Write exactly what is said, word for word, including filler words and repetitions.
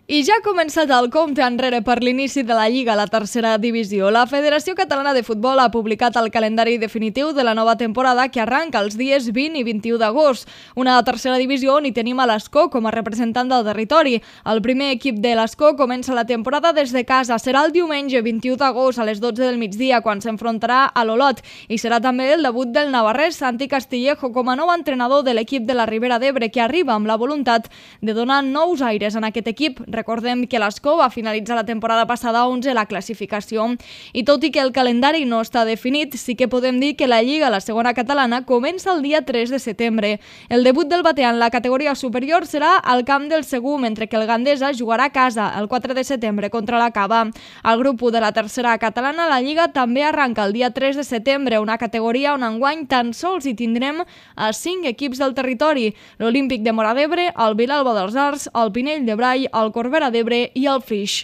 I ja ha començat el compte enrere per l'inici de la Lliga a la tercera divisió. La Federació Catalana de Futbol ha publicat el calendari definitiu de la nova temporada que arranca els dies vint i vint-i-u d'agost. Una tercera divisió on hi tenim a l'Escó com a representant del territori. El primer equip de l'Escó comença la temporada des de casa. Serà el diumenge vint-i-u d'agost a les dotze del migdia quan s'enfrontarà a l'Olot i serà també el debut del navarrès Santi Castillejo com a nou entrenador de l'equip de la Ribera d'Ebre, que arriba amb la voluntat de donar nous aires en aquest equip. Recordem que l'Escó va finalitzar la temporada passada onze a la classificació. I tot i que el calendari no està definit, sí que podem dir que la Lliga, la segona catalana, comença el dia tres de setembre. El debut del Batea en la categoria superior serà al camp del Segur, mentre que el Gandesa jugarà a casa el quatre de setembre contra la Cava. Al grup u de la tercera catalana, la Lliga també arranca el dia tres de setembre, una categoria on enguany tan sols hi tindrem a cinc equips del territori: l'Olímpic de Móra d'Ebre, el Vilalba dels Arcs, el Pinell de Brai, el Corbera d'Ebre i el Flix.